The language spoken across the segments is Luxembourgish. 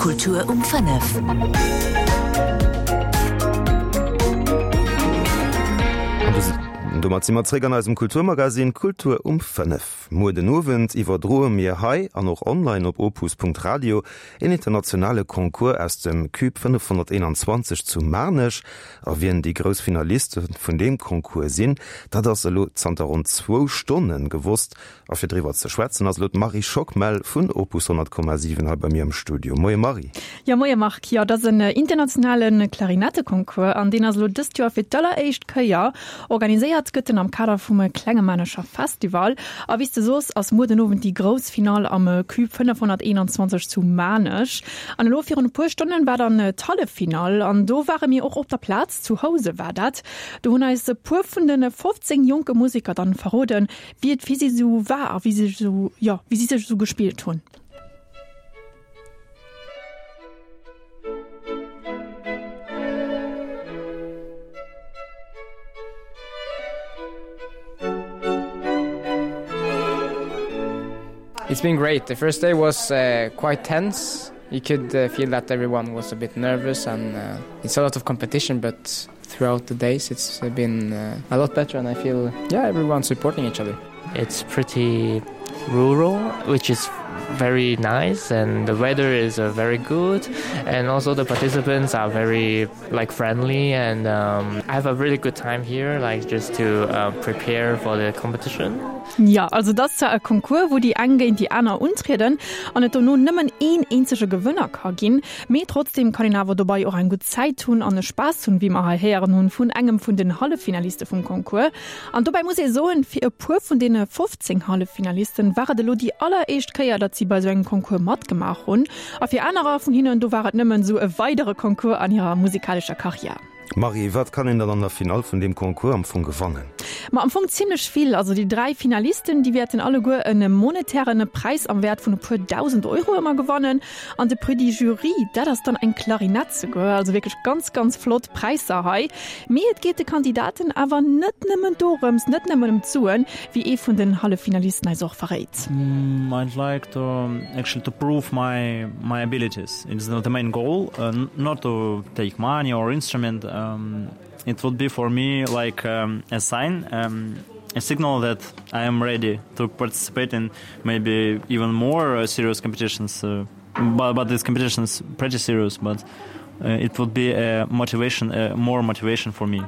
Kultur um 5. An domat si mer zréck an eisem Kulturmagazin Kultur um 5. Muer den Owend iwwerdroe mir hei an och online op opus.radio een internationale Concours aus dem Cube 521 zu Maarnech. A wien déi grouss Finaliste vun deem Concours sinn, dat ass elo zanter ronn zwou Stonne gewosst. A fir driwwer ze schwätzen ass elo d'Marie Schockmel vun Opus 100,7 hei bei mir am Studio. Moie Marie. Jo, moie Marc. Jo, et ass en internationale Klarinetteconcours an deen ass elo dëst Joer fir d'alleréischt Kéier organiséiert. Gëtt en am Kader vum Klenge Maarnecher Festival. A wéi s de soos, ass muer den Owend déi grouss Finall am Cube 521 zu Maarnech. An elo virun e puer Stonnen war dann d'Halleffinall an do ware mir och op der Plaz, zu Housen war dat. Do hunn eis e puer vun de 15 jonke Museker dann verroden, wéi et fir si sou war a wéi si sou, jo, wéi si sech esou gespillt hunn. It's been great. The first day was uh, quite tense. You could uh, feel that everyone was a bit nervous and uh, it's a lot of competition, but throughout the days it's been uh, a lot better and I feel yeah everyone's supporting each other. It's pretty rural, which is very nice and the weather is uh, very good and also the participants are very like friendly and um, I have a really good time here like just to uh, prepare for the competition. Ja, also dat ass zwar e Concours, wou déi eng géint déi aner untrieden an et dono nëmmen een eenzege Gewënner ka ginn, mee trotzdeem kann een awer dobei och eng gutt Zäit hunn an e Spaass hunn, wéi mer hei héieren hunn vun engem vun den Halleffinaliste vum Concours. An dobäi muss ee soen, fir e puer vun deene 15 Halleffinalisten war et elo déi alleréischt Kéier, datt si bei esou engem Concours matgemaach hunn. A fir anerer vun hinnen, do war et nëmmen esou e weidere Concours an hirer musikalescher Karriär. Marie, wat kann een dann an der Finall vun deem Concours am Fong gewannen? Ma am Fong zimmlech vill. Also déi 3 Finalisten, déi wäerten alleguer e monetären Präis am Wäert vun e puer 1.000 Euro ëmmer gewannen. An de Prix du Jury, dat ass dann eng Klarinett souguer. Also wierklech ganz, ganz flott Präisser hei. Mee et geet de Kandidaten awer net nëmmen dorëms, net nëmmen ëm d'Suen, wéi ee vun den Halleffinalisten eis och verréit. I'd like to actually to prove my my abilities. It's not the main goal, not to take money or instrument. It would be for me like a sign, a signal that I am ready to participate in maybe even more serious competitions. But, but this competition is pretty serious, but it would be a motivation, a more motivation for me.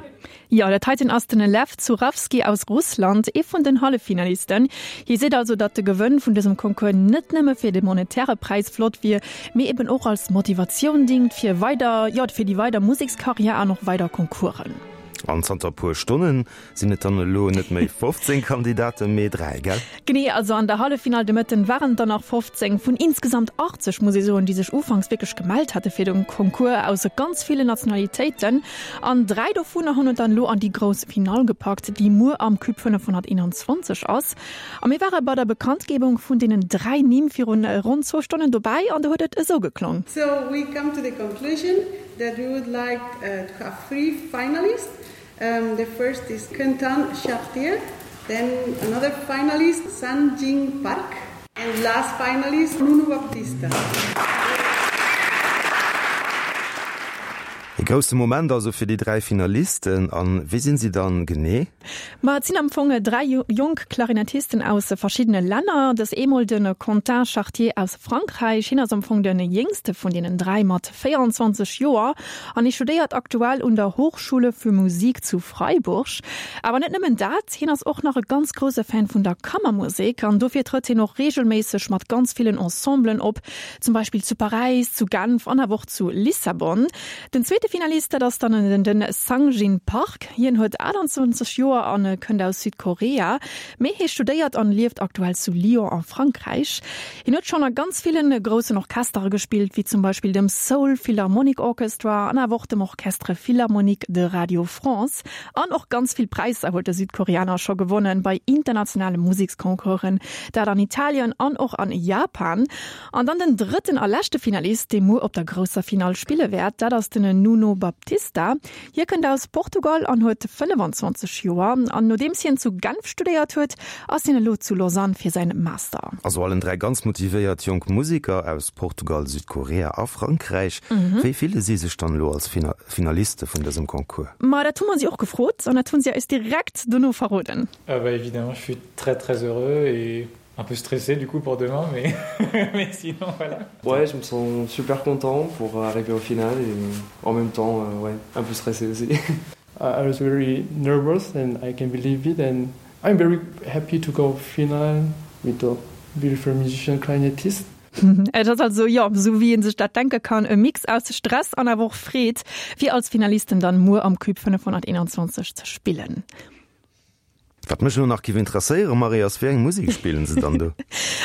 Jo, dat heiten ass den Lev Zurawski aus Russland, ee vun den Halleffinalisten. Hie seet also, datt de Gewënn vun dësem Concours net nëmme fir de monetäre Präis flott wier, mee eben och als Motivatioun dingt fir weider, jo, fir déi weider Musekskarriär an och weider Concoursen. An zanter e puer Stonnen sinn et dann elo net méi 15 Kandidaten, mee 3, gell? Genee, also an der Halleffinall de Mëtten waren et der nach 15 vun insgesamt 80, muss ee soen, déi sech ufanks wierklech gemellt hate fir de Concours aus ganz villen Nationalitéiten. An 3 dovunner hunn et dann elo an déi grouss Finall gepackt, déi muer am Cube 521 ass. A mir ware bei der Bekanntgebung vun deenen 3 Nimm virun ronn zwou Stonnen dobäi an do huet et esou geklong. So we come to the conclusion that we would like to have three finalists. The first is Quentin Chartier, then another finalist San Jing Park and last finalist Nuno Baptista. E grousse Moment also fir déi 3 Finalisten. An wie sinn si dann genee? Ma et sinn am Fong 3 jonk Klarinettisten aus verschiddene Länner. Dës eemol de Quentin Chartier aus Frankräich. Hien ass am Fong de jéngste vun deenen 3 mat 24 Joer an hie studéiert aktuell un der Hochschule für Musik zu Freiburg. Awer net nëmmen dat, hien ass och nach e ganz grousse Fan vun der Kammermusek an dofir trëtt hien och reegelméisseg mat ganz villen Ensemblen op, zum Beispill zu Paräis, zu Genf an awer och zu Lissabon. Den zweete Finalist, dat ass dann den Sangjin Park. Hien huet 28 Joer an kënnt aus Südkorea, mee hie studéiert an lieft aktuell zu Lyon a Frankräich. Hien huet schonn a ganz villen groussen Orchestere gespillt, wéi zum Beispill dem Seoul Philharmonic Orchestra an awer och dem Orchestre Philharmonique de Radio France. An och ganz vill Präisser huet de Südkoreaner scho gewonnen bei internationale Museksconcoursen, dat an Italien an och an Japan. An dann den drëtten a leschte Finalist, dee muer op der grousser Finall spille wäert, dat ass den Nuno. Jerónimo Baptista. Hie kënnt aus Portugal an huet 25 Joer. An nodeems hien zu Genf studéiert huet, ass hien elo zu Lausanne fir säin Master. Also allen 3 ganz motivéiert jonk Museker aus Portugal, Südkorea a Frankräich. Wéi fille si sech dann elo als Finaliste vun dësem Concours? Ma dat hu mer si och gefrot an dat hu si eis direkt dono verroden. Ah bah évidemment, je suis très très heureux et un peu stressé du coup pour demain mais, mais sinon voilà. Ouais, je me sens super content pour arriver au final et en même temps euh, ouais, un peu stressé aussi. I was very nervous and I can believe it and I'm very happy to go final with the beautiful musician clarinetist. Et ass also, jo, esou wéi ee sech dat denke kann, e Mix aus Stress an awer och Freed, fir als Finalisten dann muer am Cube 521 ze spillen. Wat mech elo nach giff interesséieren, Marie, ass, wéi eng Musek spillen se dann do?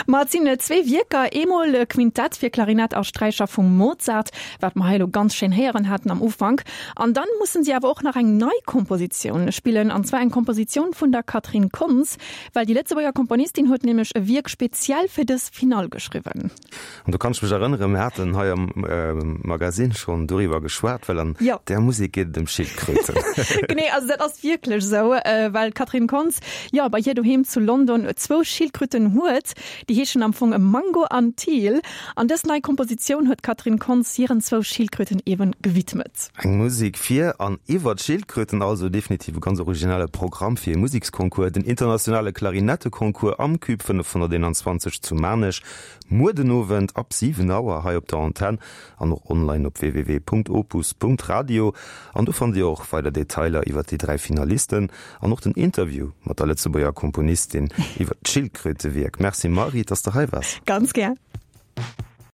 Ma et sinn zwee Wierker, eemol e Quintett fir Klarinett a Sträicher vum Mozart, wat mer hei elo ganz schéin héieren haten am Ufank, an dann mussen si awer och nach eng nei Kompositioun spillen, an zwar eng Kompositioun vun der Catherine Kontz, well déi Lëtzebuerger Komponistin huet nämlech e Wierk speziell fir dës Finall geschriwwen. An do kann ech mech erënneren, mir haten hei am Magasinn schonn doriwwer geschwat, well an där Musek geet et ëm Schildkröten. Genee, also dat ass wierklech esou, well d'Catherine Kontz, jo, bei hir doheem zu London zwou Schildkröten huet. Déi heeschen am Fong Mango an Teal. An dës nei Kompositioun huet d'Catherine Kontz hiren zwou Schildkröten eeben gewidmet. Eng Musek fir an iwwer d'Schildkröten, also definitiv e ganz originelle Programm fir e Museksconcours, den internationale Klarinetteconcours am Cube 521 zu Maarnech. Muer den Owend ab 7 Auer hei op der Antenn an och online op www.opus.radio. An do fannt Dir och weider Detailer iwwer déi 3 Finalisten an och den Interview mat der Lëtzebuerger Komponistin iwwer d'Schildkrötewierk. Merci Marie, dass de hei waars. Ganz gär.